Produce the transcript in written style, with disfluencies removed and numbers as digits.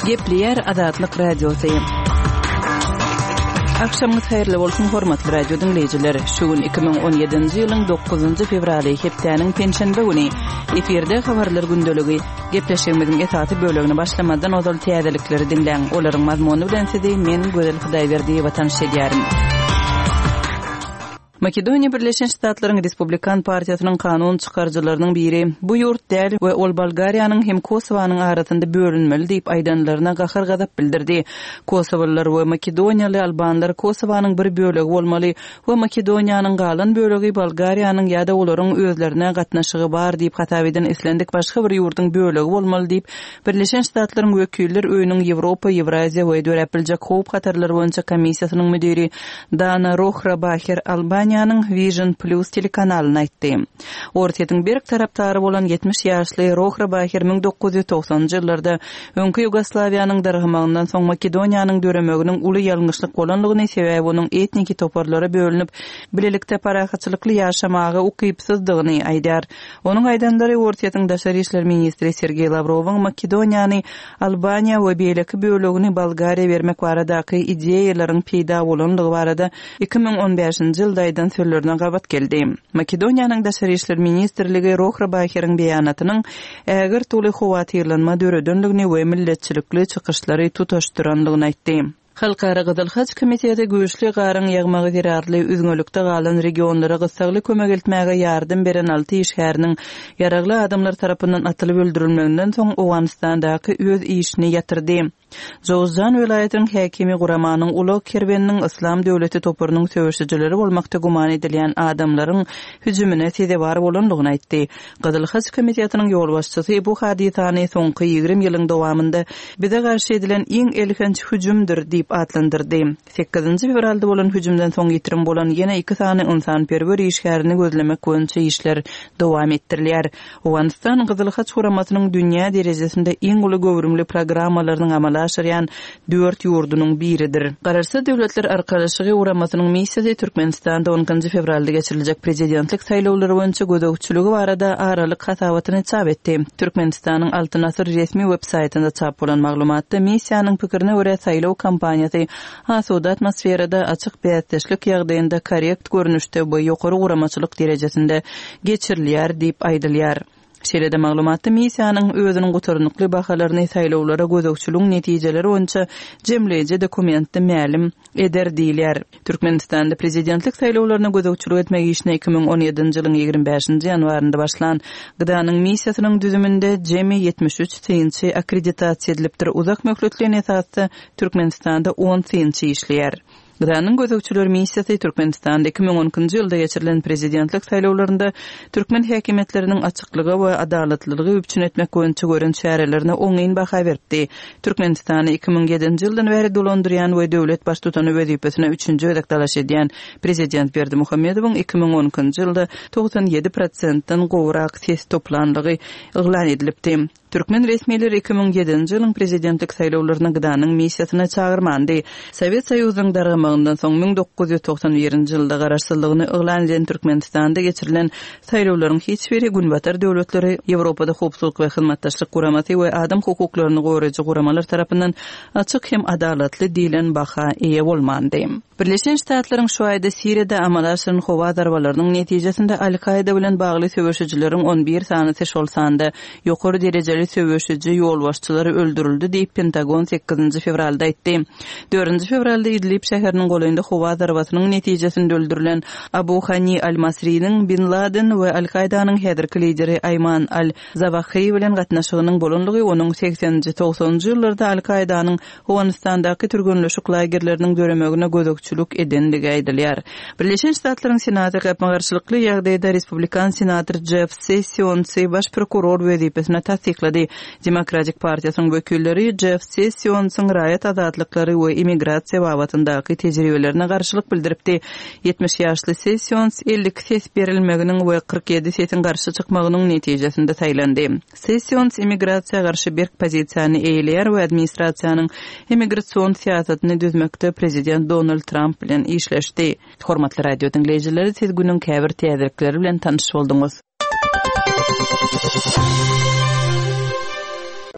Gepleýär Azatlyk Radiosy. Agşamyňyz haýyrly bolsun, hormatly radio diňleýjiler. Şu gün 2017-nji ýylyň 9-njy fewraly, hepdäniň penşenbe güni. Efirde habarlar gündeligi. Gepleşigimiziň esasy bölegini başlamazdan ozal täzelikleri diňläň. Olaryň mazmuny bilen sizi men, Gözel Hudaýberdiýewa tanyş edýärin. Makedoniýa Birleşen Ştatlaryň Respublikan partiýasynyň kanun çykaryjylarynyň biri, bu ýurt däl we ol Bolgariýanyň hem Kosowanyň arasynda bölünmeli diýip aýdanlaryna gahar-gazap bildirdi. Kosowalylar we makedoniýaly albanlar Kosowanyň bir bölegi bolmaly we Makedoniýanyň galan bölegi Bolgariýanyň ýa-da olaryň özlerine gatnaşygy bar diýip hasap eden islendik başga bir ýurduň bölegi bolmaly diýip Birleşen Ştatlaryň Wekiller öýüniň Ýewropa, Ýewraziýa we döräp biljek howp-hatarlar boýunça komissiýasynyň müdiri Dana Rohrabaher Albaniýanyň Vision Plus telekanalyna aýtdy. Orsýetiň berk tarapdary bolan 70 ýaşly Rohrabaher 1990-njy ýyllarda öňki Ýugoslawiýanyň dargamagyndan soň Makedoniýanyň döremeginiň uly ýalňyşlyk bolandygyny, sebäbi onuň etniki toparlara bölünip, bilelikde parahatçylykly ýaşamaga ukypsyzdygyny aýdýar. Onuň aýdanlary Orsýetiň daşary işler ministri Sergeý Lawrowyň Makedoniýany Albaniýa we beýleki bölegini Bolgariýa bermek baradaky ideýalaryň peýda bolandygy barada 2015-nji ýylda aýdan sözlerine gabat geldi. Makedoniýanyň Daşary işler ministrligi Rohrbaheriň beýanatynyň ägirt uly howatyrlanma döredendigini we milletçilikli çykyşlary tutaşdyrandygyny aýtdy. Halkara Gyzyl Haç komiteti güýçli garyň ýagmagy zerarly üzňelikde galan regionlara gyssagly kömek eltmäge ýardam beren alty işgäriniň ýaragly adamlar tarapyndan atylyp öldürilmeginden soň Owganystandaky öz işini ýatyrdy. Jowzjan welaýatynyň häkimi guramanyň ulag kerweniniň Yslam döwleti toparynyň söweşijileri bolmakda güman edilýän adamlaryň hüjümine sezewar bolandygyny aýtdy. Gyzyl Haç komitetiniň ýolbaşçysy bu hadysany soňky 20 ýylyň dowamynda bize garşy edilen iň elhenç hüjümdir diýip atlandyrdy. Sekizinji fewralda bolan hüjümden soň ýitirim bolan ýene iki sany ynsanperwer işgärini gözlemek boýunça işler dowam etdirilýär. Owganystan Gyzyl Haç guramasynyň dünýä derejesinde iň uly göwrümli programmalarynyň amala aşyrýan dört ýurdunyň biridir. Garaşsyz Döwletler Arkalaşygy Guramasynyň missiýasy Türkmenistanda on ikinji fewralda geçiriljek prezidentlik saýlawlary boýunça gözegçiligi barada aralyk hasabatyny çap etdi. Türkmenistanyň Altyn asyr resmi web saýtynda çap bolan maglumatda missiýanyň pikirine görä saýlaw kampaniýasy asuda atmosferada, açyk bäsdeşlik ýagdaýynda korrekt görnüşde we ýokary guramaçylyk derejesinde geçirilýär diýip aýdylýar. Şeýle-de maglumatda missiýanyň özüniň gutarnykly bahalaryny saýlawlara gözegçiligiň netijeleri boýunça jemleýji dokumentde mälim eder diýilýär. Türkmenistanda prezidentlik saýlawlaryna gözegçilik etmek işine 2017-nji ýylyň 25-nji ýanwarynda başlan GDA-nyň missiýasynyň düzüminde jemi 73 synçy akkreditasiýa edilipdir, uzak möhletleýin esasda Türkmenistanda on synçy işleýär. GDA-nyň gözegçiler missiýasy Türkmenistanda 2012-nji ýylda geçirilen prezidentlik saýlawlarynda türkmen häkimiýetleriniň açyklygy we adalatlylygy üpjün etmek boýunça gören çärelerine oňyn baha beripdi. Türkmenistany 2007-nji ýyldan bäri dolandyrýan we döwlet baştutany wezipesine üçünji gezek dalaş edýän prezident Berdimuhamedowyň 2012-nji ýylda 97 prosentden gowrak ses toplanlygy yglan edilipdi. Türkmen resmileri 2007-nji ýylyň prezidentlik saýlawlaryna GDA-nyň missiýasyny çagyrmandy. Sowet Soýuzynyň dargamagyndan soň 1991-nji ýylda garaşsyzlygyny yglan eden Türkmenistanda geçirilen saýlawlaryň hiç biri Günbatar döwletleri, Ýewropada Howpsuzlyk we Hyzmatdaşlyk Guramasy we adam hukuklaryny goraýjy guramalar tarapyndan açyk hem adalatly diýlen baha eýe bolmandy. Birleşen Ştatlaryň şu aýda Siriýada amala aşyran howa zarbalarynyň netijesinde Al-Kaýda bilen bagly söweşijileriň on bir sanysy, şol sanda ýokary derejeli söweşiji ýolbaşçylary öldürildi diýip, Pentagon sekizinji fewralda aýtdy. Dördünji fewralda Idlib şäheriniň golaýynda howa zarbasynyň netijesinde öldürilen Abu Hani al-Masriniň Bin Laden we Al-Kaýdanyň häzirki lideri Aýman al-Zawahri bilen gatnaşygynyň bolandygy onuň segseninji, togsanynjy ýyllarda Al-Kaýdanyň Owganystandaky türgenleşik lagerleriniň döremegine gözegçilik edendigi aýdylýar. Birleşen Ştatlaryň Senaty gapma-garşylykly ýagdaýda respublikan senator Jeff Sessionsy baş prokuror wezipesine tassyklady. Demokratik partiýasynyň wekilleri Jeff Sessionsyň raýat azatlyklary we immigrasiýa babatyndaky tejribelerine garşylyk bildiripdi. 70 ýaşly Sessions 52 ses berilmeginiň we 47 sesiň garşy çykmagynyň netijesinde saýlandy. Sessions immigrasiýa garşy berk pozisiýany eýeleýär we administrasiýanyň immigrasion syýasatyny düzmekde prezident Donald Tramp bilen işleşdi. Hormatly radio diňleýjiler, siz günüň käbir täzelikleri bilen tanyş bolduňyz.